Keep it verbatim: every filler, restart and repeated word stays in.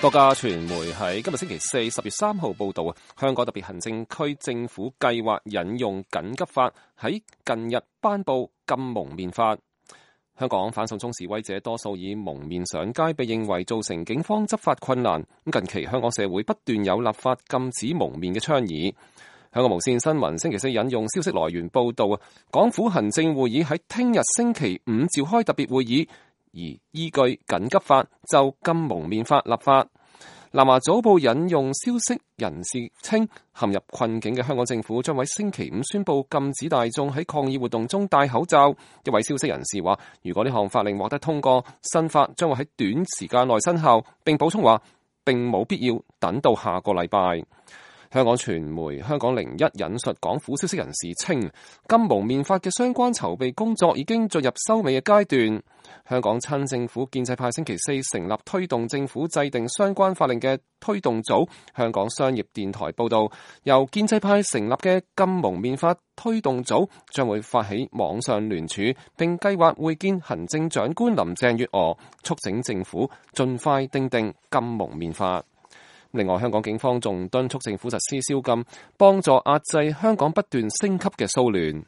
多家傳媒喺今日星期四十月三號報道，香港特別行政區政府計劃引用緊急法，喺近日頒布禁蒙面法。香港反送中示威者多數以蒙面上街，被認為造成警方執法困難。近期香港社會不斷有立法禁止蒙面嘅倡議。香港無線新聞星期四引用消息來源報道，港府行政會議喺聽日星期五召開特別會議，而依據緊急法就禁蒙面法立法。南華早報引用消息人士稱，陷入困境嘅香港政府將喺星期五宣布禁止大眾喺抗議活動中戴口罩。一位消息人士話，如果呢項法令獲得通過，新法將會喺短時間內生效，並補充話並冇必要等到下個禮拜。香港傳媒香港零一引述港府消息人士稱，禁蒙面法嘅相關籌備工作已經進入收尾嘅階段。香港親政府建制派星期四成立推動政府制定相關法令嘅推動組。香港商業電台報道，由建制派成立嘅禁蒙面法推動組將會發起網上聯署，並計劃會見行政長官林鄭月娥，促請政府盡快訂定禁蒙面法。另外，香港警方仲敦促政府實施宵禁，幫助壓制香港不斷升級嘅騷亂。